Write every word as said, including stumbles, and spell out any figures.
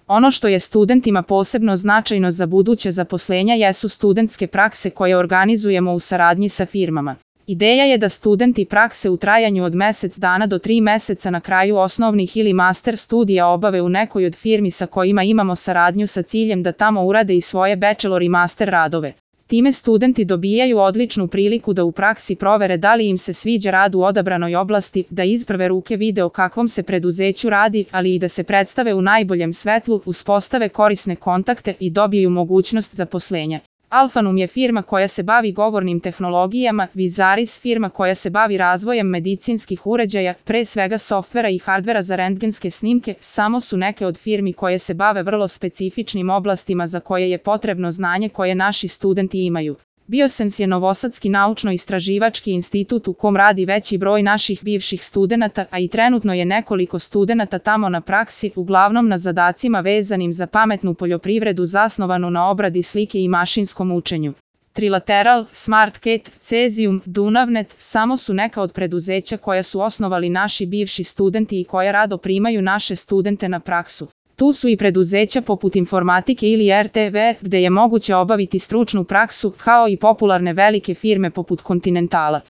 Ono što je studentima posebno značajno za buduće zaposlenja jesu studentske prakse koje organizujemo u saradnji sa firmama. Ideja je da studenti prakse u trajanju od mesec dana do tri meseca na kraju osnovnih ili master studija obave u nekoj od firmi sa kojima imamo saradnju sa ciljem da tamo urade i svoje bachelor i master radove. Time studenti dobijaju odličnu priliku da u praksi provere da li im se sviđa rad u odabranoj oblasti, da iz prve ruke vide o kakvom se preduzeću radi, ali i da se predstave u najboljem svetlu, uspostave korisne kontakte i dobiju mogućnost zaposlenja. Alfanum je firma koja se bavi govornim tehnologijama, Vizaris firma koja se bavi razvojem medicinskih uređaja, pre svega softvera i hardvera za rentgenske snimke, samo su neke od firmi koje se bave vrlo specifičnim oblastima za koje je potrebno znanje koje naši studenti imaju. Biosens je novosadski naučno-istraživački institut u kom radi veći broj naših bivših studenata, a i trenutno je nekoliko studenata tamo na praksi, uglavnom na zadacima vezanim za pametnu poljoprivredu zasnovanu na obradi slike i mašinskom učenju. Trilateral, SmartCat, Cesium, Dunavnet samo su neka od preduzeća koja su osnovali naši bivši studenti i koja rado primaju naše studente na praksu. Tu su i preduzeća poput Informatike ili er te ve, gde je moguće obaviti stručnu praksu, kao i popularne velike firme poput Continentala.